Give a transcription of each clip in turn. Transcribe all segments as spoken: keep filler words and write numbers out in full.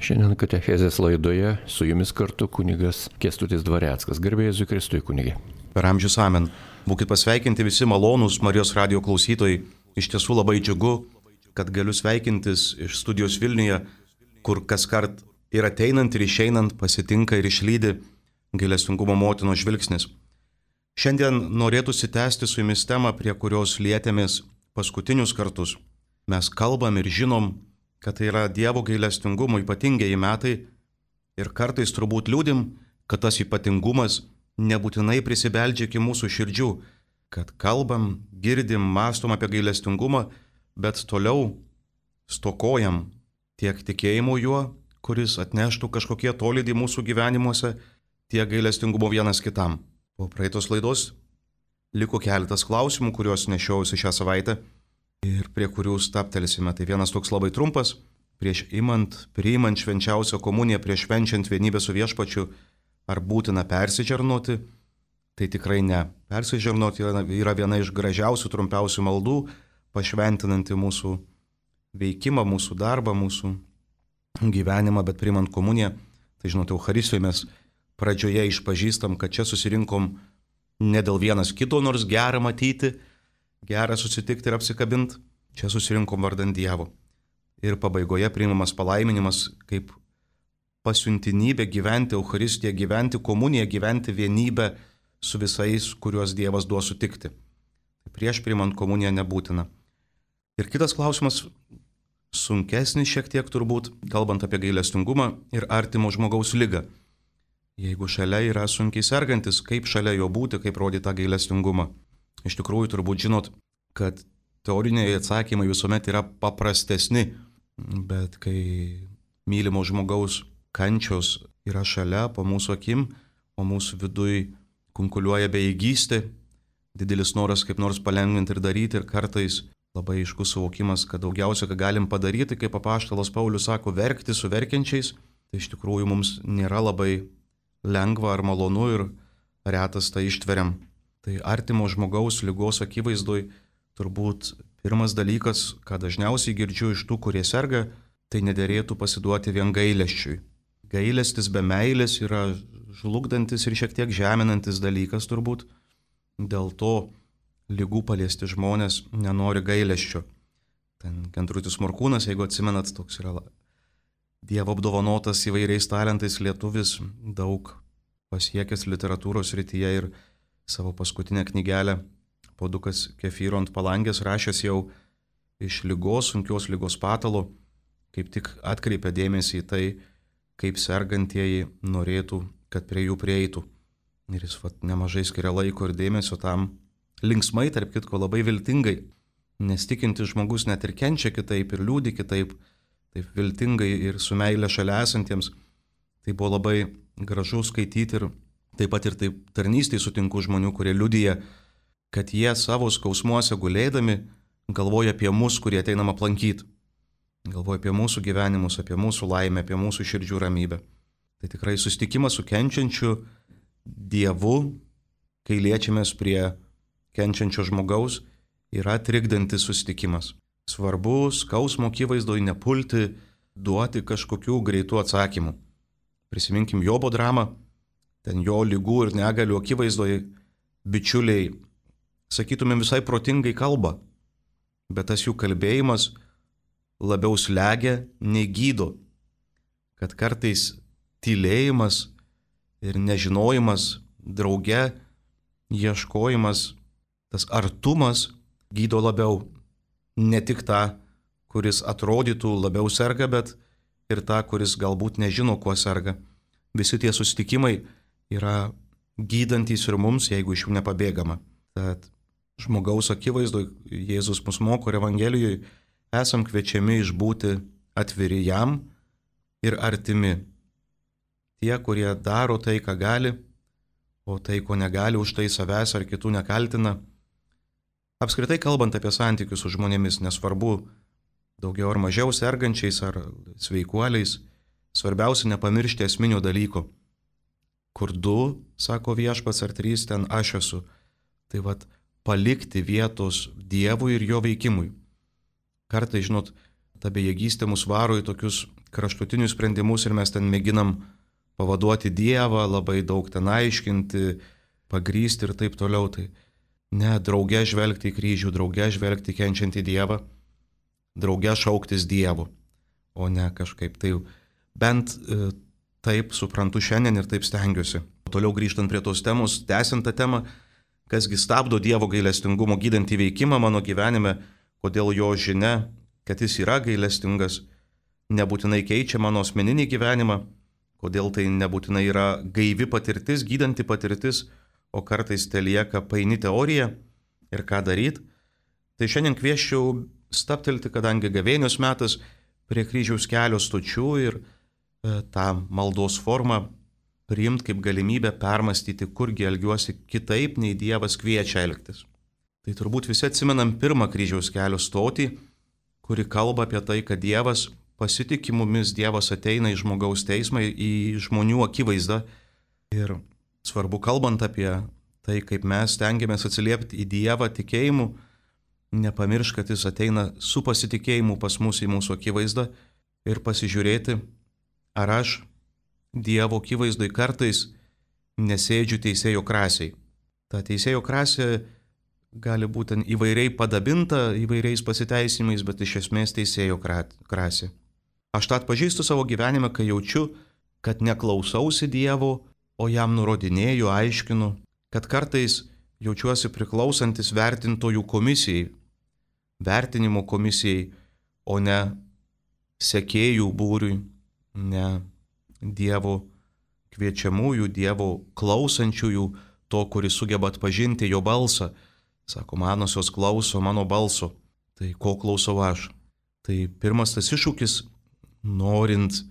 Šiandien katechezės laidoje su jumis kartu kunigas Kęstutis Dvareckas. Garbė Jėzui Kristui, kunigė. Per amžius amen. Būkit pasveikinti visi malonūs Marijos radijo klausytojai. Iš tiesų labai džiugu, kad galiu sveikintis iš studijos Vilniuje, kur kaskart ir ateinant ir išeinant pasitinka ir išlydi gailestingumo motinos žvilgsnis. Šiandien norėtųsi tęsti su jumis temą, prie kurios lietėmės paskutinius kartus. Mes kalbam ir žinom, kad tai yra Dievo gailestingumo ypatingieji metai ir kartais turbūt liūdim, kad tas ypatingumas nebūtinai prisibeldžia iki mūsų širdžių, kad kalbam, girdim, mąstom apie gailestingumą, bet toliau stokojam tiek tikėjimo juo, kuris atneštų kažkokie tolydį mūsų gyvenimuose, tiek gailestingumo vienas kitam. Po praeitos laidos liko keletas klausimų, kuriuos nešiausi šią savaitę ir prie kurių staptelsime. Tai vienas toks labai trumpas, prieš imant, priimant švenčiausią komuniją, prieš švenčiant vienybę su viešpačiu, ar būtina persižernoti? Tai tikrai ne. Persižernoti yra viena iš gražiausių, trumpiausių maldų, pašventinanti mūsų veikimą, mūsų darbą, mūsų gyvenimą, bet priimant komuniją, tai žinote, Eucharistijoje mes pradžioje išpažįstam, kad čia susirinkom ne dėl vienas kito, nors gera matyti, gera susitikti ir apsikabinti, čia susirinkom vardan Dievo. Ir pabaigoje priimamas palaiminimas kaip pasiuntinybė gyventi Eucharistiją, gyventi komuniją, gyventi vienybę su visais, kuriuos Dievas duos sutikti. Prieš priimant komuniją nebūtina. Ir kitas klausimas, sunkesnis šiek tiek turbūt, kalbant apie gailestingumą ir artimo žmogaus ligą. Jeigu šalia yra sunkiai sergantis, kaip šalia jo būti, kaip rodyti tą gailestingumą. Iš tikrųjų turbūt žinot, kad teoriniai atsakymai visuomet yra paprastesni, bet kai mylimo žmogaus kančios yra šalia po mūsų akim, o mūsų viduj kunkuliuoja bejėgystė, didelis noras kaip nors palengvinti ir daryti ir kartais labai aiškus suvokimas, kad daugiausia, ką galim padaryti, kaip apaštalas Paulius sako, verkti su verkiančiais, tai iš tikrųjų mums nėra labai lengva ar malonu ir retas tai ištveriam. Tai artimo žmogaus ligos akivaizdoj turbūt pirmas dalykas, ką dažniausiai girdžiu iš tų, kurie serga, tai nederėtų pasiduoti vien gailesčiui. Gailestis be meilės yra žlugdantis ir šiek tiek žeminantis dalykas turbūt. Dėl to ligų paliesti žmonės nenori gailesčio. Ten Kęstutis Morkūnas, jeigu atsimenat, toks yra Dievo apdovanotas įvairiais talentais lietuvis, daug pasiekęs literatūros srityje ir savo paskutinę knygelę Puodukas kefyro ant palangės rašęs jau iš ligos, sunkios ligos patalo, kaip tik atkreipia dėmesį į tai, kaip sergantieji norėtų, kad prie jų prieitų. Ir jis vat, nemažai skiria laiko ir dėmesio tam linksmai, tarp kitko labai viltingai, nes tikintis žmogus net ir kenčia kitaip ir liūdi kitaip, taip viltingai ir su meile šalia esantiems. Tai buvo labai gražu skaityti ir taip pat ir taip tarnystėje sutinku žmonių, kurie liudija, kad jie savo skausmuose gulėdami galvoja apie mus, kurie ateinam aplankyti. Galvoja apie mūsų gyvenimus, apie mūsų laimę, apie mūsų širdžių ramybę. Tai tikrai susitikimas su kenčiančiu Dievu, kai liečiamės prie kenčiančio žmogaus, yra trikdantis susitikimas. Svarbu skausmo akivaizdoj nepulti, duoti kažkokių greitų atsakymų. Prisiminkim Jobo dramą, ten jo ligų ir negalių akivaizdoj bičiuliai, sakytumėm, visai protingai kalba, bet tas jų kalbėjimas labiau slegia nei gydo, kad kartais tylėjimas ir nežinojimas, drauge ieškojimas, tas artumas gydo labiau. Ne tik tą, kuris atrodytų labiau serga, bet ir tą, kuris galbūt nežino, kuo serga. Visi tie susitikimai yra gydantys ir mums, jeigu iš jų nepabėgama. Tad žmogaus akivaizdoj Jėzus mus moko ir Evangelijoje esam kviečiami išbūti atviri jam ir artimi. Tie, kurie daro tai, ką gali, o tai, ko negali, už tai savęs ar kitų nekaltina. Apskritai kalbant apie santykius su žmonėmis, nesvarbu daugiau ar mažiau sergančiais ar sveikuoliais, svarbiausia nepamiršti esminio dalyko. Kur du, sako viešpats, ar trys, ten aš esu. Tai vat palikti vietos Dievui ir jo veikimui. Kartais, žinot, ta bejėgystė mus varo į tokius kraštutinius sprendimus ir mes ten mėginam pavaduoti Dievą, labai daug ten aiškinti, pagrysti ir taip toliau. Tai ne, drauge žvelgti į kryžių, drauge žvelgti kenčiantį Dievą, drauge šauktis Dievu, o ne kažkaip. Tai bent e, taip suprantu šiandien ir taip stengiuosi. Toliau grįžtant prie tos temos, tęsiant tą temą, kasgi stabdo Dievo gailestingumo gydantį veikimą mano gyvenime, kodėl jo žinia, kad jis yra gailestingas, nebūtinai keičia mano asmeninį gyvenimą, kodėl tai nebūtinai yra gaivi patirtis, gydanti patirtis, o kartais tai lieka paini teorija ir ką daryti. Tai šiandien kvieščiau stabtelti, kadangi gavėnios metas, prie kryžiaus kelio stočių ir e, tą maldos formą priimti kaip galimybę permastyti, kurgi elgiuosi kitaip, nei Dievas kviečia elgtis. Tai turbūt visi atsimenam pirmą kryžiaus kelio stotį, kuri kalba apie tai, kad Dievas pasitikė mumis, Dievas ateina į žmogaus teismą, į žmonių akivaizdą. Ir svarbu, kalbant apie tai, kaip mes stengiamės atsiliepti į Dievą tikėjimu, nepamiršk, kad jis ateina su pasitikėjimu pas mus į mūsų akivaizdą ir pasižiūrėti, ar aš Dievo akivaizdoj kartais nesėdžiu teisėjo krasiai. Ta teisėjo krasė gali būti įvairiai padabinta, įvairiais pasiteisimais, bet iš esmės teisėjo krasė. Aš tą atpažįstu savo gyvenime, kai jaučiu, kad neklausausi Dievo, o jam nurodinėju, aiškinu, kad kartais jaučiuosi priklausantis vertintojų komisijai, vertinimo komisijai, o ne sekėjų būriui, ne Dievo kviečiamųjų, Dievo klausančiųjų, to, kuris sugeba atpažinti jo balsą. Sako, manosios klauso mano balso. Tai ko klausau aš? Tai pirmas tas iššūkis, norint,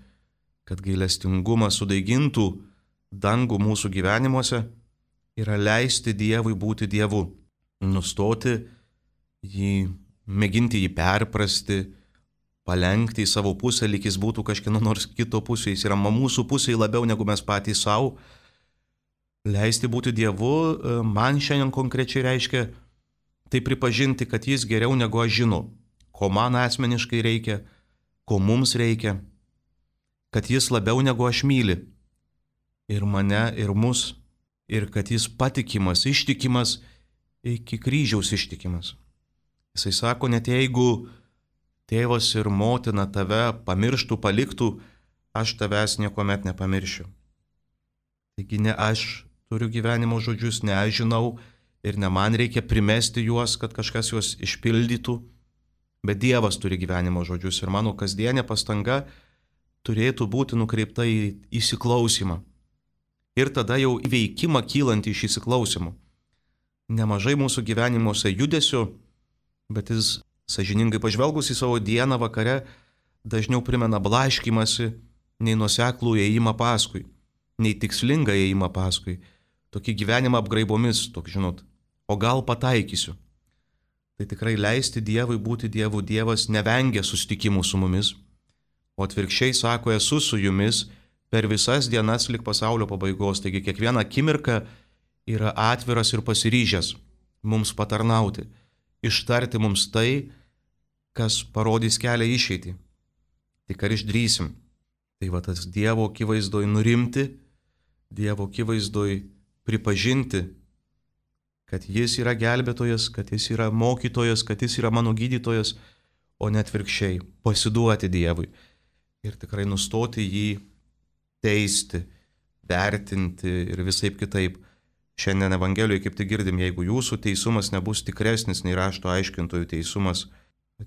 kad gailestingumas sudaigintų dangų mūsų gyvenimuose, yra leisti Dievui būti Dievu. Nustoti jį, mėginti jį perprasti, palenkti į savo pusę, lyg jis būtų kažkieno nors kito pusė, jis yra mūsų pusėje labiau negu mes patys savo. Leisti būti Dievu man šiandien konkrečiai reiškia tai pripažinti, kad jis geriau negu aš žinau, ko man asmeniškai reikia, ko mums reikia, kad jis labiau negu aš myli ir mane, ir mus, ir kad jis patikimas, ištikimas, iki kryžiaus ištikimas. Jisai sako, net jeigu tėvas ir motina tave pamirštų, paliktų, aš tavęs niekuomet nepamiršiu. Taigi ne aš turiu gyvenimo žodžius, ne aš žinau ir ne man reikia primesti juos, kad kažkas juos išpildytų, bet Dievas turi gyvenimo žodžius ir mano kasdienė pastanga turėtų būti nukreipta į įsiklausimą. Ir tada jau įveikimą kylantį iš įsiklausimo. Nemažai mūsų gyvenimuose judesio, bet jis sąžiningai pažvelgus į savo dieną vakare dažniau primena blaškymasi, nei nuoseklų ėjimą paskui, nei tikslingą ėjimą paskui. Tokį gyvenimą apgraibomis, tokį žinot, o gal pataikysiu. Tai tikrai leisti Dievui būti Dievu. Dievas nevengia susitikimų su mumis, o atvirkščiai sako, esu su jumis per visas dienas lig pasaulio pabaigos. Taigi kiekviena akimirka yra atviras ir pasiryžęs mums patarnauti, ištarti mums tai, kas parodys kelią išeitį. Tik ar išdrysim. Tai va tas Dievo akivaizdoj nurimti, Dievo akivaizdoj pripažinti, kad jis yra gelbėtojas, kad jis yra mokytojas, kad jis yra mano gydytojas, o net atvirkščiai pasiduoti Dievui. Ir tikrai nustoti jį teisti, vertinti ir visaip kitaip. Šiandien Evangelijoje kaip tik girdim, jeigu jūsų teisumas nebus tikresnis nei rašto aiškintojų teisumas,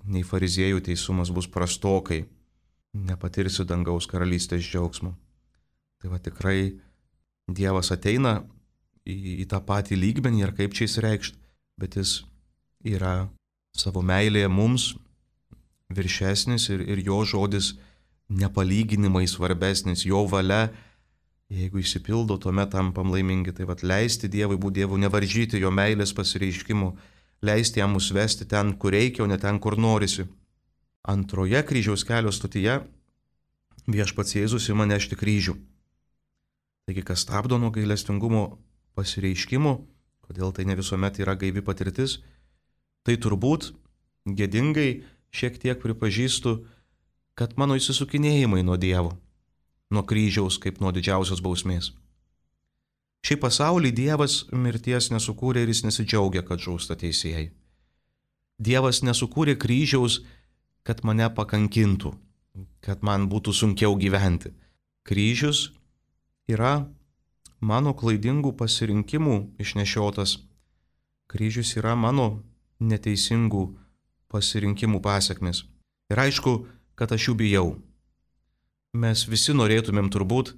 nei fariziejų teisumas, bus prastokai, nepatirsiu dangaus karalystės džiaugsmo. Tai va tikrai Dievas ateina į, į tą patį lygmenį ir kaip čia įsireikšti, bet jis yra savo meilėje mums viršesnis ir, ir jo žodis nepalyginimai svarbesnis, jo valia, jeigu išsipildo, tuomet tampam laimingi. Tai vat leisti Dievui būti Dievu, nevaržyti jo meilės pasireiškimų, leisti jam mus vesti ten, kur reikia, o ne ten, kur norisi. Antroje kryžiaus kelio stotyje viešpats Jėzus ima nešti kryžių. Taigi, kas stabdo nuo gailestingumo pasireiškimų, kodėl tai ne visuomet yra gaivi patirtis, tai turbūt gėdingai šiek tiek pripažįstu kad mano įsisukinėjimai nuo Dievo, nuo kryžiaus kaip nuo didžiausios bausmės. Šiai pasaulį Dievas mirties nesukūrė ir jis nesidžiaugia, kad žūsta teisėjai. Dievas nesukūrė kryžiaus, kad mane pakankintų, kad man būtų sunkiau gyventi. Kryžius yra mano klaidingų pasirinkimų išnešiotas. Kryžius yra mano neteisingų pasirinkimų pasiekmes. Ir aišku, kad aš jų bijau. Mes visi norėtumėm turbūt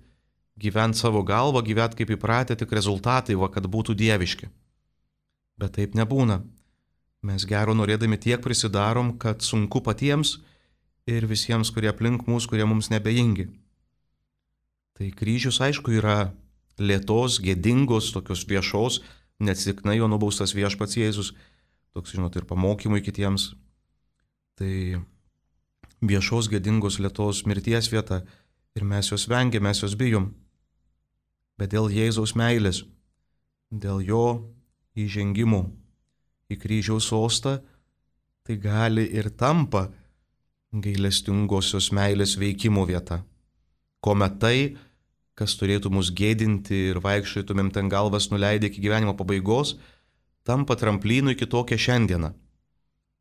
gyventi savo galvą, gyventi kaip įpratę, tik rezultatai, va, kad būtų dieviški. Bet taip nebūna. Mes gero norėdami tiek prisidarom, kad sunku patiems ir visiems, kurie aplink mus, kurie mums nebejingi. Tai kryžius, aišku, yra lėtos, gėdingos, tokios viešos, neatsitiktinai jo nubaustas viešpats Jėzus, toks, žinot, ir pamokymui kitiems. Tai viešos, gėdingos, lėtos mirties vieta ir mes jos vengiam, mes jos bijom. Bet dėl Jėzaus meilės, dėl jo įžengimų į kryžiaus sostą, tai gali ir tampa gailestingosios meilės veikimo vieta. Kuomet tai, kas turėtų mus gėdinti ir vaikščiotumėm ten galvas nuleidę iki gyvenimo pabaigos, tampa tramplynu į kitokią šiandieną.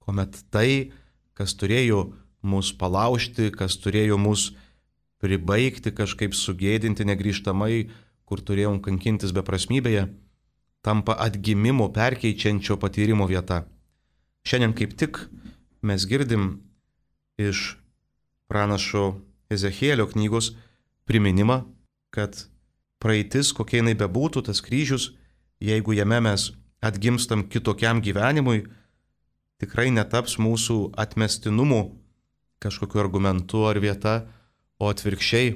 Kuomet tai, kas turėjo mus palaužti, kas turėjo mus pribaigti, kažkaip sugėdinti negrįžtamai, kur turėjom kankintis beprasmybėje, tampa atgimimo perkeičiančio patyrimo vieta. Šiandien kaip tik mes girdim iš pranašo Ezechielio knygos priminimą, kad praeitis, kokia jinai bebūtų, tas kryžius, jeigu jame mes atgimstam kitokiam gyvenimui, tikrai netaps mūsų atmestinumu kažkokiu argumentu ar vieta, o atvirkščiai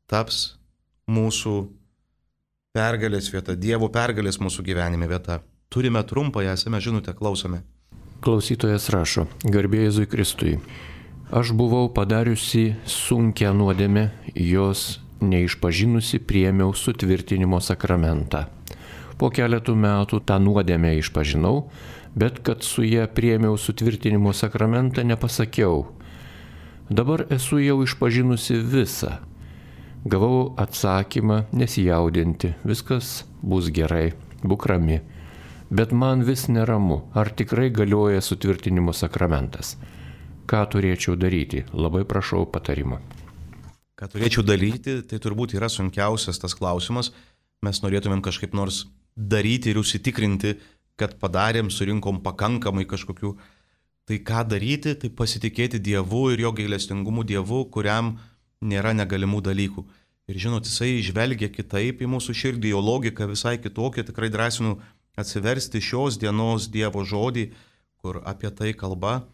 taps mūsų pergalės vieta, Dievo pergalės mūsų gyvenime vieta. Turime trumpą, esame žinutę, klausome. Klausytojas rašo, garbė Jėzui Kristui. Aš buvau padariusi sunkią nuodėmę, jos neišpažinusi priėmiau sutvirtinimo sakramentą. Po keletų metų tą nuodėmę išpažinau, bet kad su ją priėmiau sutvirtinimo sakramentą nepasakiau. Dabar esu jau išpažinusi visą. Gavau atsakymą nesijaudinti, viskas bus gerai, būk rami. Bet man vis neramu, ar tikrai galioja sutvirtinimo sakramentas. Ką turėčiau daryti? Labai prašau patarimo. Ką turėčiau daryti, tai turbūt yra sunkiausias tas klausimas. Mes norėtumėm kažkaip nors daryti ir užsitikrinti, kad padarėm, surinkom pakankamai kažkokių. Tai ką daryti, tai pasitikėti Dievu ir jo gailestingumu Dievu, kuriam nėra negalimų dalykų. Ir žinot, jisai žvelgia kitaip į mūsų širdį, jo logika visai kitokia. Tikrai drąsinu atsiversti šios dienos Dievo žodį, kur apie tai kalba,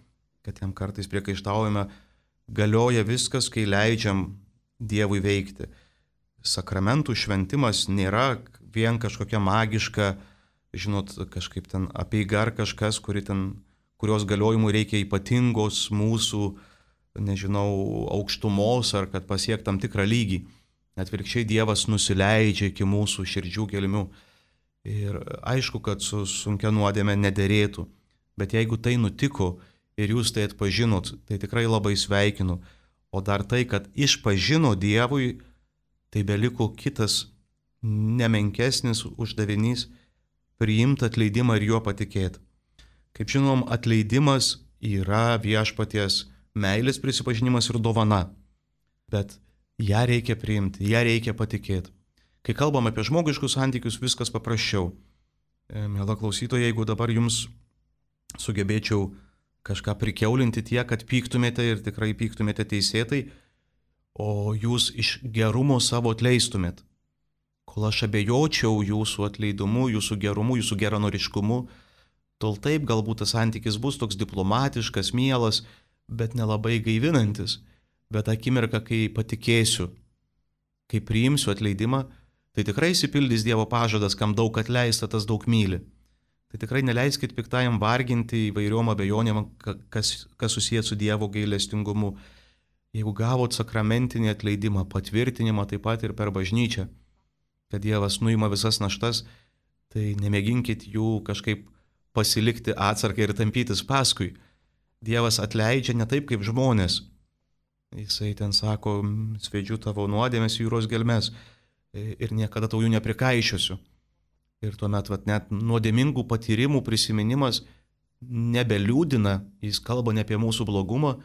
kad jam kartais priekaištaujame, galioja viskas, kai leidžiam Dievui veikti. Sakramentų šventimas nėra vien kažkokia magiška, žinot, kažkaip ten apeiga ar kažkas, kuri ten, kurios galiojimų reikia ypatingos mūsų, nežinau, aukštumos ar kad pasiek tam tikrą lygį. Atvirkščiai Dievas nusileidžia iki mūsų širdžių gelmių. Ir aišku, kad su sunkia nuodėme nederėtų. Bet jeigu tai nutiko ir jūs tai atpažinot, tai tikrai labai sveikinu. O dar tai, kad išpažino Dievui, tai beliko kitas nemenkesnis uždavinys - priimti atleidimą ir juo patikėti. Kaip žinom, atleidimas yra viešpaties meilės prisipažinimas ir dovana, bet ją reikia priimti, ją reikia patikėti. Kai kalbam apie žmogiškus santykius, viskas paprasčiau. Miela klausytoja, jeigu dabar jums sugebėčiau kažką prikeulinti tiek, kad pyktumėte ir tikrai pyktumėte teisėtai, o jūs iš gerumo savo atleistumėt, kol aš abejočiau jūsų atleidumu, jūsų gerumu, jūsų geranoriškumu, tol taip galbūt tas santykis bus toks diplomatiškas, mielas, bet nelabai gaivinantis. Bet akimirka, kai patikėsiu, kai priimsiu atleidimą, tai tikrai išsipildys Dievo pažadas, kam daug atleista, tas daug myli. Tai tikrai neleiskit piktajam varginti įvairiom abejonėm, kas, kas susijęs su Dievo gailestingumu. Jeigu gavot sakramentinį atleidimą, patvirtinimą taip pat ir per bažnyčią, kad Dievas nuima visas naštas, tai nemėginkit jų kažkaip pasilikti atsargai ir tampytis paskui. Dievas atleidžia ne taip kaip žmonės. Jisai ten sako, svedžiu tavo nuodėmės jūros gelmes ir niekada tau jų neprikaišiosiu. Ir tuomet vat, net nuodėmingų patyrimų prisiminimas nebeliūdina, jis kalba ne apie mūsų blogumą,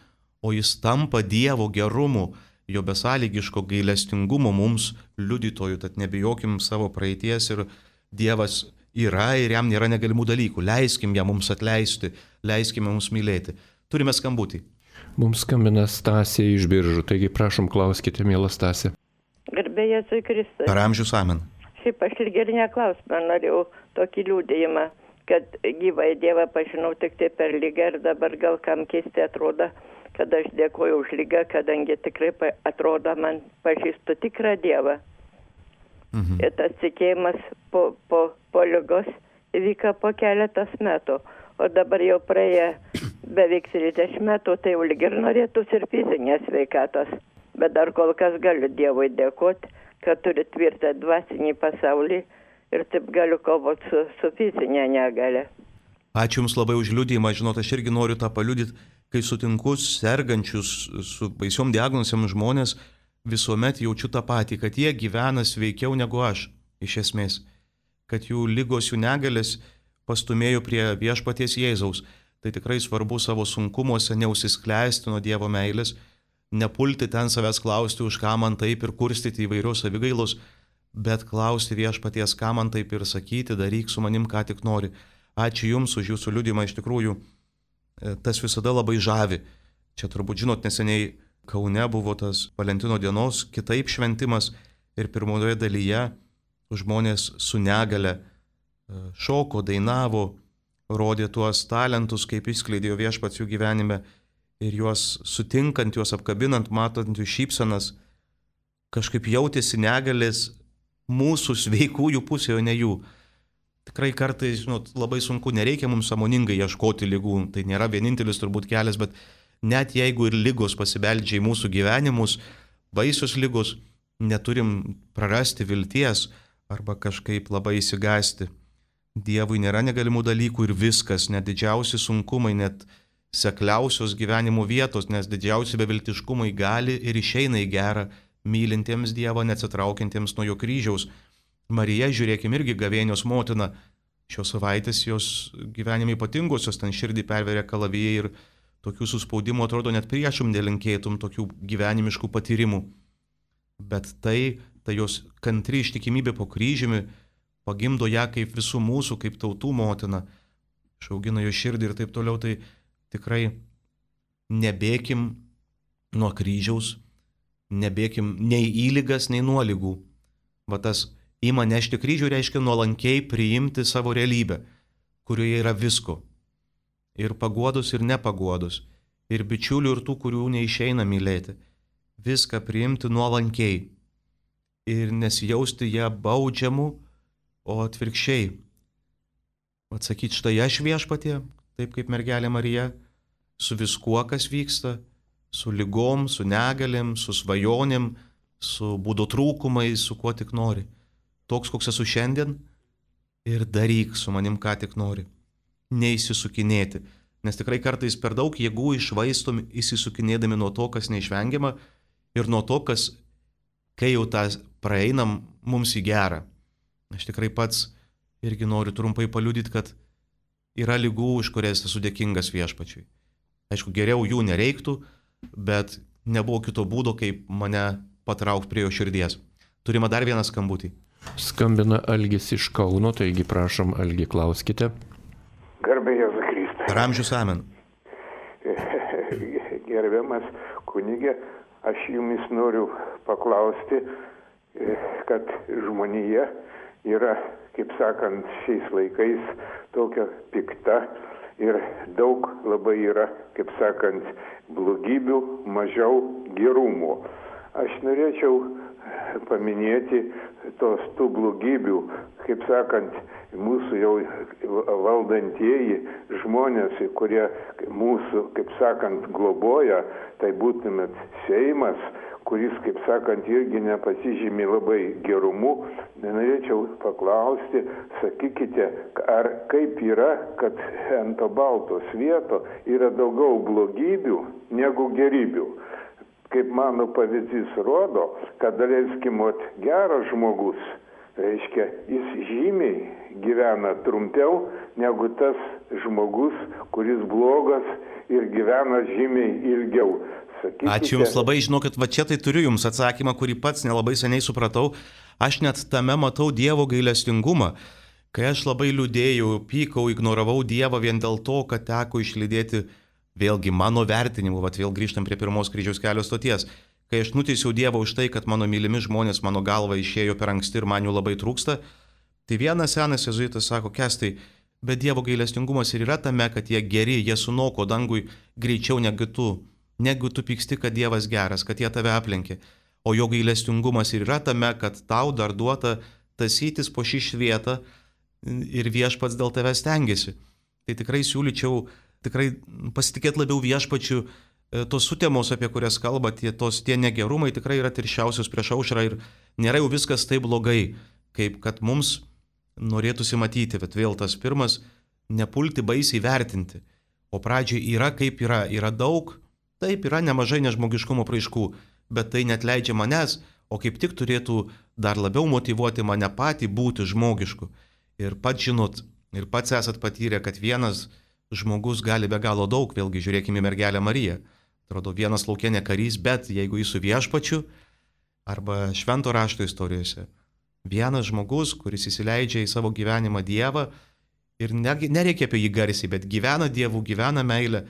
o jis tampa Dievo gerumu, jo besąlygiško gailestingumo mums liudytojų, tad nebijokim savo praeities ir Dievas yra ir jam nėra negalimų dalykų. Leiskim jam mums atleisti, leiskime mums mylėti. Turime skambutį. Mums skambina Stasė iš Biržų, taigi prašom klauskite, miela Stasė. Garbė Jėzui Kristui. Per amžius amen. Šiaip aš ir ir neklausimą norėjau tokį liūdėjimą, kad gyvai Dievą pažinau tik tai per lygą ir dabar gal kam keistai atrodo, kad aš dėkoju už lygą, kadangi tikrai atrodo man pažįstu tikrą Dievą. Mhm. Ir tas tikėjimas po, po, po lygos įvyko po keletas metų, o dabar jau praėję beveik trisdešimt metų, tai jau lyg ir norėtųsi ir fizinės sveikatos. Bet dar kol kas galiu Dievui dėkoti, kad turi tvirtą dvasinį pasaulį ir taip galiu kovoti su, su fizinė negalia. Ačiū Jums labai už liudijimą. Žinot, aš irgi noriu tą paliudyti, kai sutinku sergančius su baisiom diagnozėm žmonės, visuomet jaučiu tą patį, kad jie gyvena sveikiau negu aš, iš esmės. Kad jų lygos, jų negalės pastumėjo prie viešpaties Jėzaus. Tai tikrai svarbu savo sunkumuose neužsiskleisti nuo Dievo meilės, nepulti ten savęs klausti, už ką man taip ir kurstyti įvairios savigailos, bet klausti viešpaties, ką man taip ir sakyti, daryk su manim, ką tik nori. Ačiū Jums už Jūsų liudijimą, iš tikrųjų, tas visada labai žavi. Čia turbūt žinot, neseniai Kaune buvo tas Valentino dienos kitaip šventimas ir pirmoje dalyje žmonės su negale šoko, dainavo, rodė tuos talentus, kaip išskleidėjo viešpats jų gyvenime ir juos sutinkant, juos apkabinant, matant jų šypsenas, kažkaip jautėsi negalės mūsų sveikųjų pusėje, o ne jų. Tikrai kartais, žinot, labai sunku, nereikia mums sąmoningai ieškoti ligų, tai nėra vienintelis turbūt kelias, bet net jeigu ir ligos pasibeldžia į mūsų gyvenimus, baisios ligos, neturim prarasti vilties arba kažkaip labai įsigąsti. Dievui nėra negalimų dalykų ir viskas, net didžiausi sunkumai, net sekliausios gyvenimo vietos, nes didžiausi beviltiškumai gali ir išeina į gerą, mylintiems Dievą, neatsitraukiantiems nuo jo kryžiaus. Marija, žiūrėkim, irgi gavėnios motina, šios savaitės jos gyvenime ypatingosios, ten širdį perveria kalavijai ir tokių suspaudimų atrodo net priešum nelinkėtum tokių gyvenimiškų patyrimų. Bet tai, tai jos kantri ištikimybė po kryžiumi, pagimdo ją kaip visų mūsų, kaip tautų motina, išaugina jo širdį ir taip toliau, tai tikrai nebėkim nuo kryžiaus, nebėkim nei į ligas, nei nuo ligų. Va tas ima nešti kryžių reiškia nuolankiai priimti savo realybę, kurioje yra visko. Ir paguodus, ir nepaguodus, ir bičiulių, ir tų, kurių neišeina mylėti. Viską priimti nuolankiai ir nesijausti ją baudžiamu, o atvirkščiai, atsakyti, štai aš viešpatie, taip kaip mergelė Marija, su viskuo, kas vyksta, su ligom, su negalėm, su svajonėm, su būdo trūkumais, su kuo tik nori. Toks, koks esu šiandien, ir daryk su manim, ką tik nori. Neįsisukinėti, nes tikrai kartais per daug jėgų išvaistom įsisukinėdami nuo to, kas neišvengiama, ir nuo to, kas, kai jau tą praeinam, mums į gerą. Aš tikrai pats irgi noriu trumpai paliudyti, kad yra ligų, už kurias esu dėkingas viešpačiui. Aišku, geriau jų nereiktų, bet nebuvo kito būdo, kaip mane patraukti prie jo širdies. Turime dar vieną skambutį. Skambina Algis iš Kauno, taigi prašom, Algi, klauskite. Garbė Jėzui Kristui. Per amžius amen. Gerbiamas kunigė, aš jumis noriu paklausti, kad žmonija yra, kaip sakant, šiais laikais tokia pikta ir daug labai yra, kaip sakant, blogybių, mažiau gerumo. Aš norėčiau paminėti tos tų blogybių, kaip sakant, mūsų jau valdantieji žmonės, kurie mūsų, kaip sakant, globoja, tai būtumėt Seimas, kuris, kaip sakant, irgi nepasižymi labai gerumu. Norėčiau paklausti, sakykite, ar kaip yra, kad ant to balto svieto yra daugiau blogybių negu gerybių. kaip mano pavyzdys rodo, kad, leiskim, geras žmogus, reiškia, jis žymiai gyvena trumpiau negu tas žmogus, kuris blogas ir gyvena žymiai ilgiau. Sakykite... Ačiū Jums labai, žinokit, va čia tai turiu Jums atsakymą, kurį pats nelabai seniai supratau. Aš net tame matau Dievo gailestingumą. Kai aš labai liūdėjau, pykau, ignoravau Dievą vien dėl to, kad teko išlydėti vėlgi mano vertinimu, vat vėl grįžtam prie pirmos kryžiaus kelio stoties. Kai aš nuteisiau Dievą už tai, kad mano mylimi žmonės mano galva išėjo per anksti ir man jų labai trūksta, tai vienas senas jėzuitas sako, Kestai, bet Dievo gailestingumas ir yra tame, kad jie geri, jie sunoko dangui greičiau negu tu, negu tu pyksti, kad Dievas geras, kad jie tave aplenkė. O jo gailestingumas ir yra tame, kad tau dar duota tasytis po šį švietą ir viešpats dėl tave stengiasi. Tai tikrai siūlyčiau tikrai pasitikėti labiau viešpačiu. Tos sutemos, apie kurias kalba, tie, tos, tie negerumai tikrai yra tirščiausios prieš aušrą ir nėra jau viskas taip blogai, kaip kad mums norėtųsi matyti. Bet vėl tas pirmas, nepulti baisiai vertinti. O pradžiai yra kaip yra, yra daug, taip yra nemažai nežmogiškumo praiškų, bet tai net leidžia manęs, o kaip tik turėtų dar labiau motyvuoti mane patį būti žmogišku. Ir pats žinot, ir pats esat patyrę, kad vienas žmogus gali be galo daug, vėlgi žiūrėkime mergelę Mariją. Atrodo, vienas lauke ne karys, bet jeigu jis su viešpačiu, arba švento rašto istorijose, vienas žmogus, kuris įsileidžia į savo gyvenimą Dievą ir nereikia apie jį garsiai, bet gyvena Dievu, gyvena meilę,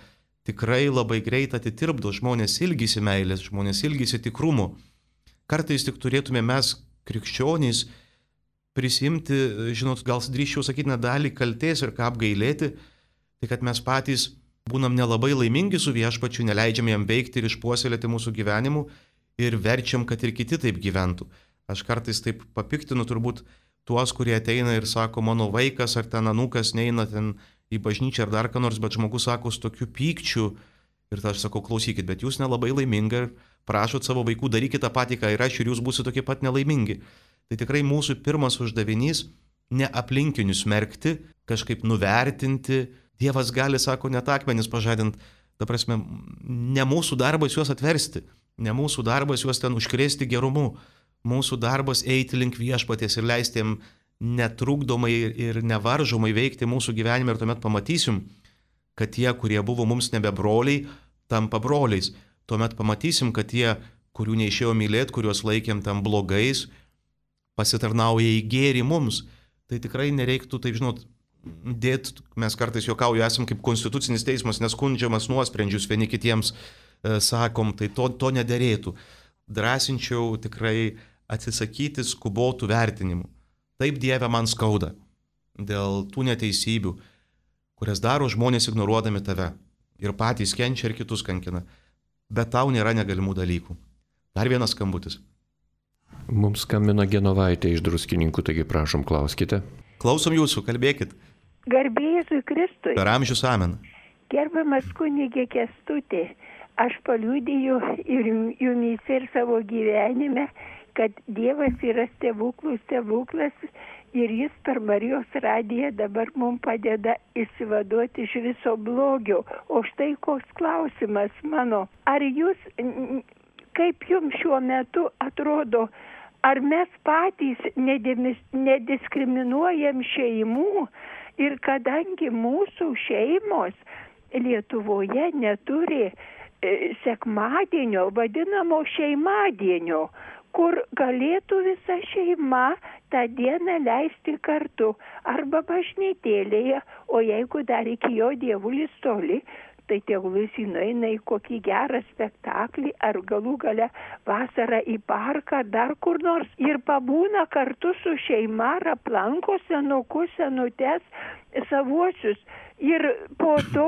tikrai labai greit atitirpdo, žmonės ilgisi meilės, žmonės ilgisi tikrumo. Kartais tik turėtume mes, krikščionys, prisimti, žinot, gal drįsčiau sakyti, dalį kaltės ir ką apgailėti, tai kad mes patys būnam nelabai laimingi su viešpačiu, neleidžiam jam veikti ir išpuoselėti mūsų gyvenimu ir verčiam, kad ir kiti taip gyventų. Aš kartais taip papiktinu turbūt tuos, kurie ateina ir sako, mano vaikas ar ten anūkas neina ten į bažnyčią ar dar ką nors, bet žmogus sako su tokiu pykčiu ir aš sakau, klausykit, bet jūs nelabai laimingi ir prašot savo vaikų, darykite tą patį, ką ir aš, ir jūs būsite tokie pat nelaimingi. Tai tikrai mūsų pirmas uždavinys ne aplinkinius smerkti, kažkaip nuvertinti. Dievas gali, sako, net akmenis pažadinti, ta prasme, ne mūsų darbas juos atversti, ne mūsų darbas juos ten užkrėsti gerumu, mūsų darbas eiti link viešpaties ir leisti jam netrukdomai ir nevaržomai veikti mūsų gyvenime ir tuomet pamatysim, kad tie, kurie buvo mums nebe broliai, tampa broliais. Tuomet pamatysim, kad tie, kurių neišėjo mylėti, kuriuos laikėm tam blogais, pasitarnauja į gėrį mums. Tai tikrai nereiktų, taip žinot, dėt, mes kartais juokauju, esam kaip konstitucinis teismas, neskundžiamas nuosprendžius vieni kitiems e, sakom, tai to, to nederėtų. Drąsinčiau tikrai atsisakyti skubotų vertinimų. Taip, Dieve, man skauda dėl tų neteisybių, kurias daro žmonės ignoruodami tave ir patys kenčia ir kitus kankina. Bet tau nėra negalimų dalykų. Dar vienas skambutis. Mums skambina Genovaitė iš Druskininkų, taigi prašom, klauskite. Klausom jūsų, kalbėkit. Garbė Jėzui Kristui. Per amžius amen. Gerbiamas kunigė Kęstuti, aš paliudiju ir jumyse ir savo gyvenime, kad Dievas yra stebuklų stebuklas ir jis per Marijos radiją dabar mums padeda išsivaduoti iš viso blogio. O štai koks klausimas mano. Ar jūs, kaip jums šiuo metu atrodo, ar mes patys nediskriminuojam šeimų ir kadangi mūsų šeimos Lietuvoje neturi e, sekmadienio, vadinamo šeimadienio, kur galėtų visa šeima tą dieną leisti kartu arba bažnytėlėje, o jeigu dar iki jo dievulis toli, tai tegul jis nueina į kokį gerą spektaklį ar galų gale vasarą į parką, dar kur nors ir pabūna kartu su šeima ar aplanko senukus, senutes, savuosius. Ir po to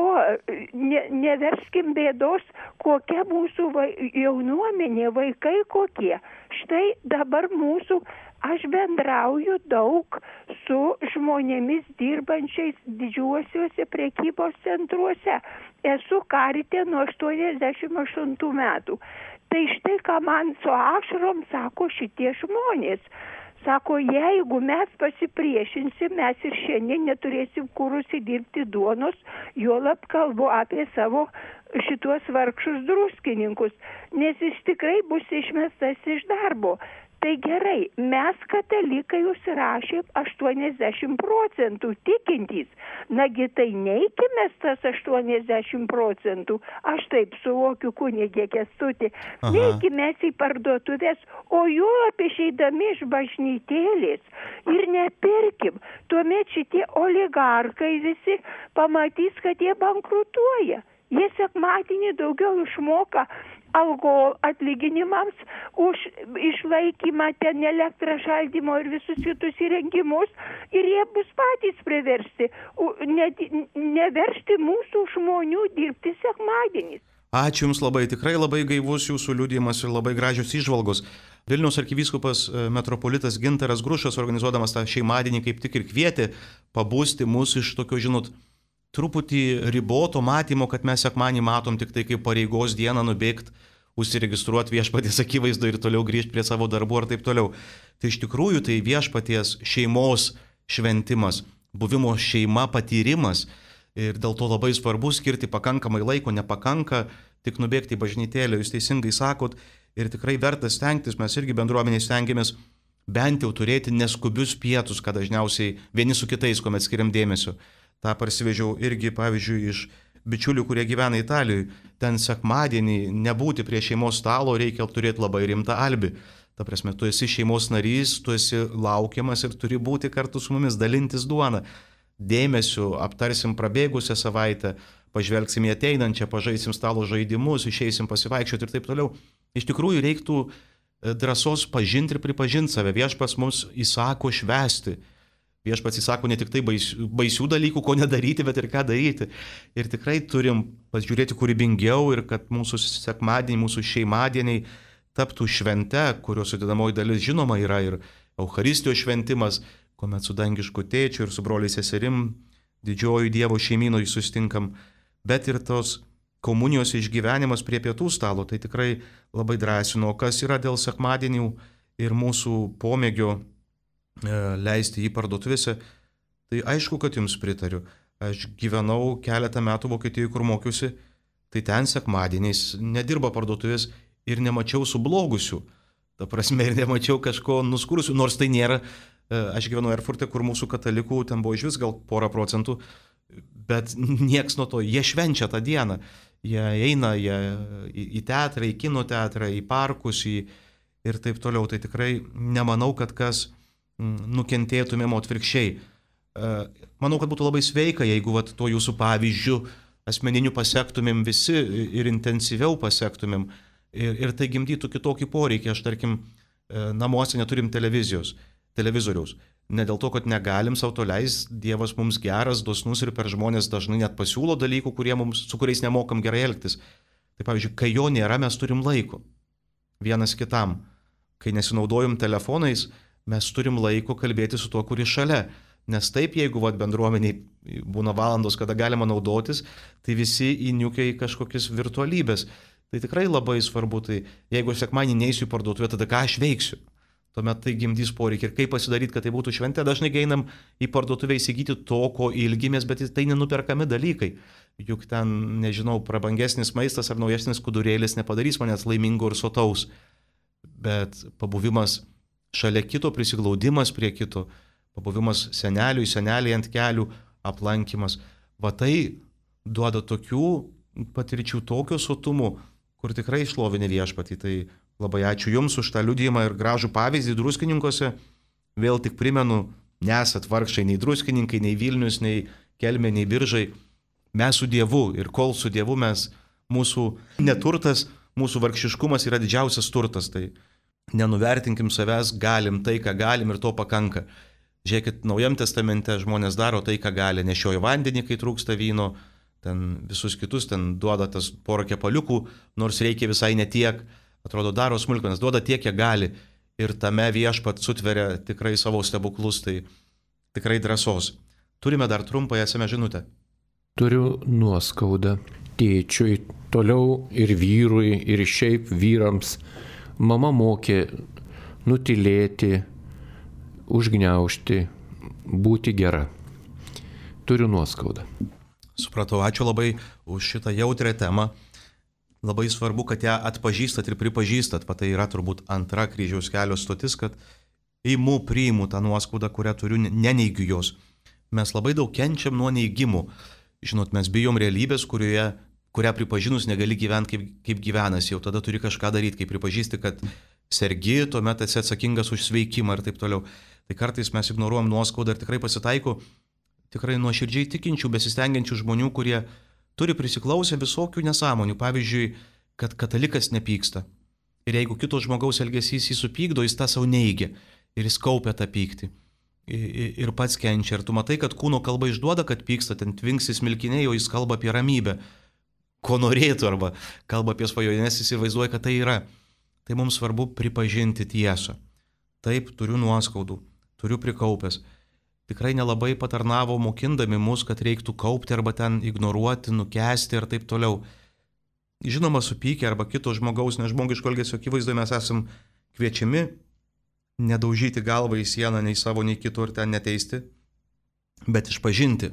ne, neverskim bėdos, kokia mūsų vai, jaunuomenė, vaikai kokie. Štai dabar mūsų, aš bendrauju daug su žmonėmis dirbančiais didžiuosiuose prekybos centruose. Esu karite nuo aštuoniasdešimt aštuntų metų. Tai štai ką man su ašarom sako šitie žmonės. Sako, jeigu mes pasipriešinsim, mes ir šiandien neturėsim kur užsidirbti duonos, juolab kalbu apie savo šituos vargšus druskininkus, nes jis tikrai bus išmestas iš darbo. Tai gerai, mes katalikai užsirašėm aštuoniasdešimt procentų tikintys. Nagi tai neikime tas aštuoniasdešimt procentų. Aš taip suvokiu kunigė Kęstutį. Neikime į parduotuvės, o jų išeidami iš bažnytėlės ir nepirkim. Tuomet šitie oligarkai visi pamatys, kad jie bankrutuoja. Jie sekmadienį daugiau išmoka algo atlyginimams už išlaikymą ten elektrą šaldymo ir visus kitus įrengimus ir jie bus patys priversti ne, neversti mūsų žmonių dirbti sekmadieniais. Ačiū Jums labai, tikrai labai gaivus Jūsų liudijimas ir labai gražios įžvalgos. Vilniaus arkivyskupas metropolitas Gintaras Grušas, organizuodamas tą šeimadienį, kaip tik ir kvietė pabūsti mus iš tokio, žinot, truputį riboto matymo, kad mes sekmanį matom tik tai kaip pareigos dieną nubėgti, užsiregistruoti viešpaties akivaizdu ir toliau grįžti prie savo darbų ar taip toliau. Tai iš tikrųjų tai viešpaties šeimos šventimas, buvimo šeima patyrimas ir dėl to labai svarbu skirti pakankamai laiko, nepakanka tik nubėgti į bažnytėlę, jūs teisingai sakot, ir tikrai verta stengtis, mes irgi bendruomeniai stengiamės bent jau turėti neskubius pietus, kad dažniausiai vieni su kitais, kuomet skiriam dėmesio. Ta parsivežiau irgi, pavyzdžiui, iš bičiulių, kurie gyvena Italijoje. Ten sekmadienį nebūti prie šeimos stalo reikia turėti labai rimtą albį. Ta prasme, tu esi šeimos narys, tu esi laukiamas ir turi būti kartu su mumis, dalintis duoną. Dėmesiu, aptarsim prabėgusią savaitę, pažvelgsim į ateinančią, pažaisim stalo žaidimus, išeisim pasivaikščioti ir taip toliau. Iš tikrųjų reiktų drąsos pažinti ir pripažinti save. Viešpats mums įsako švęsti. Viešpats įsako ne tik tai baisių, baisių dalykų, ko nedaryti, bet ir ką daryti. Ir tikrai turim pasižiūrėti kūrybingiau ir kad mūsų sekmadieniai, mūsų šeimadieniai taptų švente, kurios sudedamoji dalis žinoma yra ir Eucharistijos šventimas, kuomet su dangišku tėčiu ir su broliais seserim didžioji Dievo šeimynoj susitinkam, bet ir tos komunijos išgyvenimas prie pietų stalo, tai tikrai labai drąsino, kas yra dėl sekmadienių ir mūsų pomėgio leisti jį parduotuvėse, tai aišku, kad jums pritariu. Aš gyvenau keletą metų Vokietijoje, kur mokiausi, tai ten sekmadieniais nedirba parduotuvės ir nemačiau sublogusių. Ta prasme, ir nemačiau kažko nuskurusių, nors tai nėra. Aš gyvenau Erfurte, kur mūsų katalikų ten buvo iš vis gal porą procentų, bet nieks nuo to, jie švenčia tą dieną. Jie eina jie į teatrą, į kino teatrą, į parkus į, ir taip toliau. Tai tikrai nemanau, kad kas nukentėtumėm atvirkščiai. Manau, kad būtų labai sveika, jeigu vat, to jūsų pavyzdžių asmeninių pasektumėm visi ir intensyviau pasektumėm ir, ir tai gimdytų kitokį poreikį. Aš, tarkim, namuose neturim televizijos, televizoriaus. Ne dėl to, kad negalim savo to leis, Dievas mums geras, dosnus ir per žmonės dažnai net pasiūlo dalykų, kurie mums, su kuriais nemokam gerai elgtis. Tai pavyzdžiui, kai jo nėra, mes turim laiko vienas kitam. Kai nesinaudojom telefonais, mes turim laiko kalbėti su tuo, kuris šalia. Nes taip, jeigu vat, bendruomeniai būna valandos, kada galima naudotis, tai visi įniukia į kažkokias virtualybės. Tai tikrai labai svarbu, tai jeigu sekmadienį neisiu į parduotuvę, tada ką aš veiksiu? Tuomet tai gimdys poreikį. Ir kaip pasidaryti, kad tai būtų šventė, dažnai einam į parduotuvę įsigyti to, ko ilgimės, bet tai nenuperkami dalykai. Juk ten, nežinau, prabangesnis maistas ar naujesnis skudurėlis nepadarys manęs laimingo ir sotaus. Bet pabuvimas šalia kito, prisiglaudimas prie kito, pabuvimas seneliui, seneliai ant kelių, aplankimas. Va tai duoda tokių patirčių, tokio sotumų, kur tikrai šlovinė viešpatį. Tai labai ačiū Jums už tą liudijimą ir gražų pavyzdį Druskininkuose. Vėl tik primenu, nesat vargšai nei Druskininkai, nei Vilnius, nei Kelmė, nei Biržai. Mes su Dievu ir kol su Dievu mes, mūsų neturtas, mūsų vargšiškumas yra didžiausias turtas. Tai nenuvertinkim savęs, galim tai, ką galim ir to pakanka. Žiūrėkit, Naujam testamente žmonės daro tai, ką gali, nešioja vandenį, kai trūksta vyno, ten visus kitus, ten duoda tas porą kepaliukų, nors reikia visai netiek, atrodo daro smulkmenas, duoda tiek, kiek gali ir tame viešpat sutveria tikrai savo stebuklus, tai tikrai drąsos. Turime dar trumpą esame žinutę. Turiu nuoskaudą. tėčiui, toliau ir vyrui, ir šiaip vyrams. Mama mokė nutilėti, užgniaužti, būti gera. Turiu nuoskaudą. Supratau, ačiū labai už šitą jautrę temą. Labai svarbu, kad ją atpažįstat ir pripažįstat. Va tai yra turbūt antra kryžiaus kelio stotis, kad imu, priimu tą nuoskaudą, kurią turiu, neneigiu jos. Mes labai daug kenčiam nuo neigimų. Žinot, mes bijom realybės, kurioje, kurią pripažinus negali gyventi kaip, kaip gyvenas. Jau tada turi kažką daryti, kai pripažįsti, kad sergi, tuomet esi atsakingas už sveikimą ir taip toliau. Tai kartais mes ignoruojam nuoskaudą ir tikrai pasitaiko tikrai nuoširdžiai tikinčių, besistengiančių žmonių, kurie turi prisiklausę visokių nesąmonių. Pavyzdžiui, kad katalikas nepyksta. Ir jeigu kito žmogaus elgesys jį supykdo, jis tą savo neigia. Ir jis kaupia tą pyktį. Ir pats kenčia. Ir tu matai, kad kūno kalba išduoda, kad pyksta, ten tvinksis milkiniai, o jis kalba apie ramybę. Ko norėtų, arba kalba apie svajonės, jis įsivaizduoja, kad tai yra. Tai mums svarbu pripažinti tiesą. Taip, turiu nuoskaudų, turiu prikaupęs. Tikrai nelabai patarnavo mokindami mus, kad reiktų kaupti arba ten ignoruoti, nukęsti ir taip toliau. Žinoma, supykę arba kito žmogaus nežmogiško elgesio akivaizdoje mes esam kviečiami nedaužyti galvą į sieną nei savo, nei kito ir ten neteisti, bet išpažinti.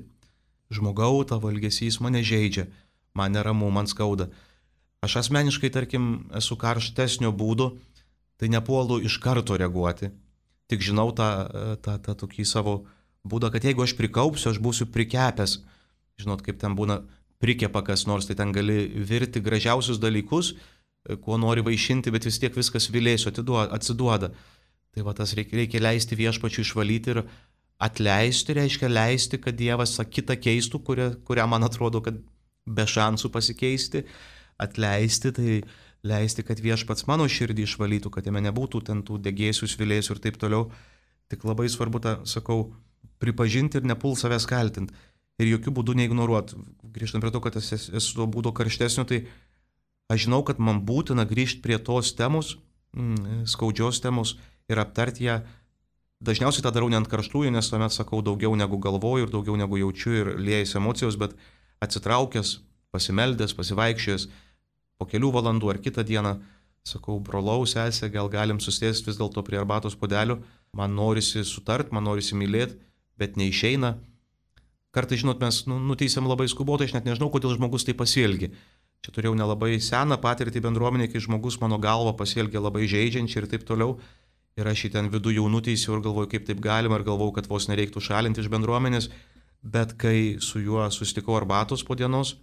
Žmogau, tavo elgesys mane žeidžia, man neramu, man skauda. Aš asmeniškai, tarkim, esu karštesnio būdo, tai nepuolu iš karto reaguoti. Tik žinau tą, tą, tą tokį savo būdą, kad jeigu aš prikaupsiu, aš būsiu prikepęs. Žinot, kaip ten būna prikepa kas nors, tai ten gali virti gražiausius dalykus, kuo nori vaišinti, bet vis tiek viskas vilėsiu, atsiduoda. Tai va tas reikia, reikia leisti viešpačiui išvalyti ir atleisti, reiškia leisti, kad Dievas kitą keistų, kurią, kurią man atrodo, kad be šansų pasikeisti. Atleisti, tai leisti, kad viešpats mano širdį išvalytų, kad jame nebūtų ten tų degėsių, svilėsių ir taip toliau. Tik labai svarbu tą, sakau, pripažinti ir nepul savęs kaltinti. Ir jokių būdų neignoruoti. Grįžtant prie to, kad esu, esu to būdo karštesnio, tai aš žinau, kad man būtina grįžti prie tos temos, mm, skaudžios temos ir aptarti ją. Dažniausiai tą darau ne ant karštųjų, nes tuomet sakau daugiau negu galvoju ir daugiau negu jaučiu ir liejasi emocijos, bet atsitraukęs, pasimeldęs, pasivaikščiojęs, po kelių valandų ar kitą dieną, sakau, brolau, sesė, gal galim susėsti vis dėlto prie arbatos puodelio, man norisi sutart, man norisi mylėti, bet neišeina. Kartais, žinot, mes nu, nuteisėm labai skubotai, aš net nežinau, kodėl žmogus tai pasielgė. Čia turėjau nelabai seną patirtį bendruomenė, kai žmogus mano galva pasielgė labai žeidžiančiai ir taip toliau. Ir aš jį ten vidų jau nuteisiu ir galvoju, kaip taip galima, ir galvoju, kad vos nereiktų šalinti iš bendruomenės. Bet kai su juo susitikau arbatos po dienos,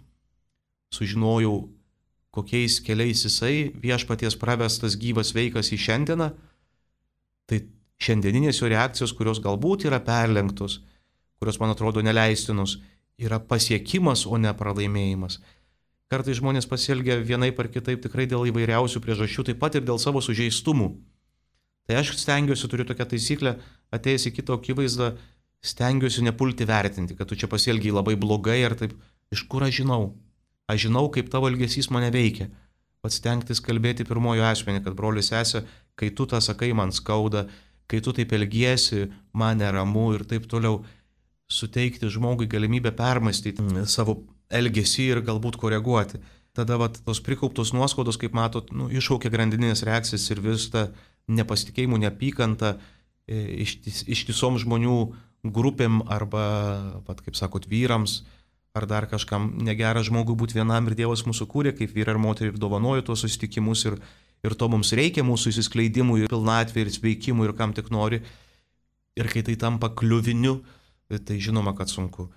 sužinojau, kokiais keliais jisai viešpaties pravestas gyvas veikas į šiandieną, tai šiandieninės jo reakcijos, kurios galbūt yra perlenktos, kurios man atrodo neleistinos, yra pasiekimas, o ne pralaimėjimas. Kartais žmonės pasielgia vienaip ar kitaip tikrai dėl įvairiausių priežasčių, taip pat ir dėl savo sužeistumų. Tai aš stengiuosi, turiu tokią taisyklę, atėjęs į kito akivaizdą, stengiuosi nepulti vertinti, kad tu čia pasielgiai labai blogai ir taip, iš kur aš žinau? Aš žinau, kaip tavo elgesys mane veikia. Pats stengtis kalbėti pirmojo asmenį, kad brolis sesė, kai tu tą sakai, man skauda, kai tu taip elgiesi, man neramu ir taip toliau. Suteikti žmogui galimybę permastyti savo elgesį ir galbūt koreguoti. Tada vat, tos prikauptos nuoskaudos, kaip matot, nu, iššaukia grandinės reakcijas ir vis tą nepasitikėjimų, neapykantą ištis, ištisom žmonių grupėm arba, vat, kaip sakot, vyrams ar dar kažkam negera žmogui būti vienam ir Dievas mūsų kūrė, kaip vyrai ir moteriai ir dovanojo tuos susitikimus ir, ir to mums reikia mūsų įsiskleidimui ir pilnatvė ir sveikimui ir kam tik nori. Ir kai tai tampa kliuviniu, tai žinoma, kad sunku.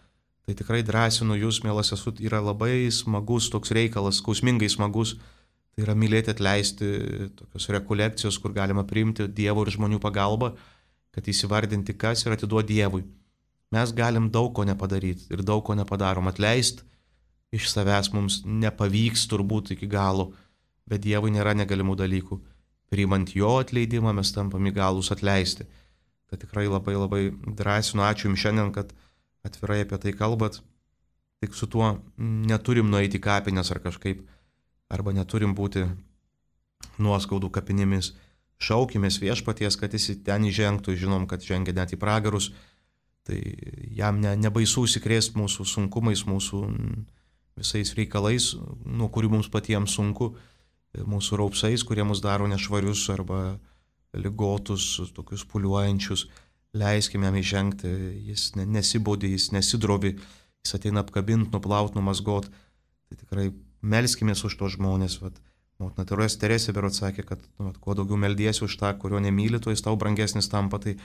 Tai tikrai drąsinu jūs, mielas esu, yra labai smagus toks reikalas, skausmingai smagus. Tai yra mylėti, atleisti, tokios rekolekcijos, kur galima priimti Dievo ir žmonių pagalbą, kad įsivardinti kas ir atiduoti Dievui. Mes galim daug ko nepadaryti ir daug ko nepadarom. Atleisti iš savęs mums nepavyks turbūt iki galo, bet Dievui nėra negalimų dalykų. Priimant jo atleidimą mes tampam įgalūs atleisti. Tai tikrai labai labai drąsinu, ačiū jums šiandien, kad atvirai apie tai kalbat. Tik su tuo neturim nueiti į kapines ar kažkaip, arba neturim būti nuoskaudų kapinėmis. Šaukimės viešpaties, kad jis ten įžengtų, žinom, kad žengia net į pragarus. Tai jam ne, nebaisu užsikrėsti mūsų sunkumais, mūsų visais reikalais, nuo kurių mums patiems sunku, mūsų raupsais, kurie mus daro nešvarius arba ligotus, tokius puliuojančius. Leiskime jam įžengti, jis nesibodė, jis nesidrovi, jis ateina apkabinti, nuplaut, numasgot. Tai tikrai melskimės už tos žmonės. Vat, motina Teresė berods sakė, kad nu, vat, kuo daugiau meldiesi už tą, kurio nemyli, tuo jis tau brangesnis tampa. Tai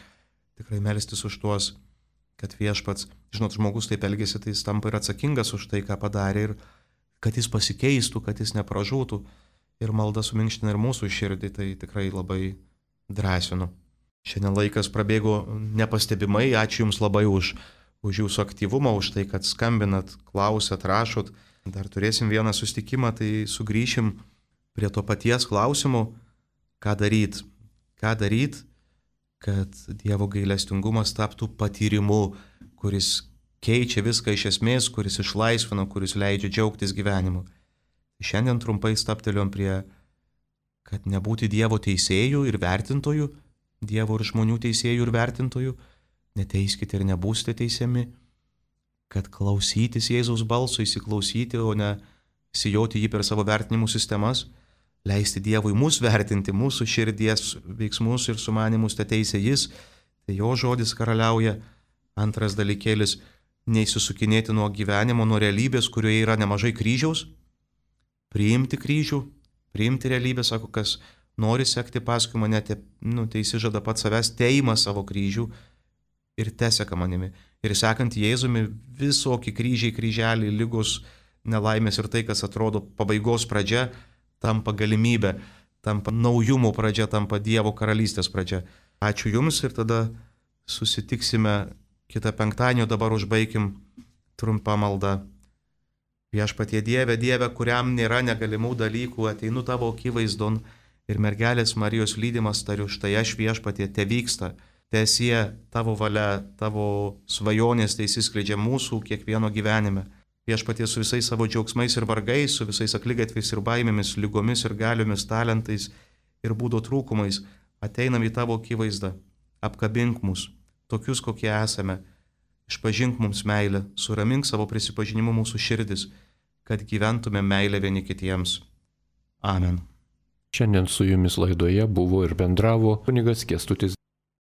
tikrai melstis už tuos, kad viešpats, žinot, žmogus taip elgėsi, tai jis tampa ir atsakingas už tai, ką padarė, ir kad jis pasikeistų, kad jis nepražūtų. Ir malda suminkština ir mūsų širdį, tai tikrai labai drąsinu. Šiandien laikas prabėgo nepastebimai, ačiū Jums labai už, už Jūsų aktyvumą, už tai, kad skambinat, klausat, rašot. Dar turėsim vieną susitikimą, tai sugrįšim prie to paties klausimo, ką daryt. Ką daryt, kad Dievo gailestingumas taptų patyrimu, kuris keičia viską iš esmės, kuris išlaisvina, kuris leidžia džiaugtis gyvenimu. Šiandien trumpai stapteliom prie, kad nebūti Dievo teisėjų ir vertintojų, Dievo ir žmonių teisėjų ir vertintojų, neteiskite ir nebūsite teisiami, kad klausytis Jėzaus balso, įsiklausyti, o ne sijoti jį per savo vertinimų sistemas, leisti Dievui mus vertinti, mūsų širdies veiksmus ir sumanimus, te teisė jis, tai jo žodis karaliauja. Antras dalykėlis, neįsisukinėti nuo gyvenimo, nuo realybės, kurioje yra nemažai kryžiaus, priimti kryžių, priimti realybę, sako, kas nori sekti paskui mane, te, nu, tai įsižada pats savęs, teima savo kryžių ir teseka manimi. Ir sekant Jėzumi, visokie kryžiai, kryželiai, lygos, nelaimės ir tai, kas atrodo pabaigos pradžia, tampa galimybė, tampa naujumo pradžia, tampa Dievo karalystės pradžia. Ačiū Jums ir tada susitiksime kitą penktadienį, dabar užbaikim trumpą maldą. Viešpatie Dieve, Dieve, kuriam nėra negalimų dalykų, ateinu Tavo akivaizdon ir mergelės Marijos lydimas tariu, štai aš Viešpatie, te vyksta, teesie Tavo valia, Tavo svajonės tai įsiskleidžia mūsų kiekvieno gyvenime. Viešpatie su visais savo džiaugsmais ir vargais, su visais akligatviais ir baimėmis, lygomis ir galiomis, talentais ir būdo trūkumais, ateinam į Tavo akivaizdą, apkabink mus, tokius kokie esame, išpažink mums meilę, suramink savo prisipažinimu mūsų širdis, kad gyventume meilę vieni kitiems. Amen. Šiandien su Jumis laidoje buvo ir bendravo kunigas Kęstutis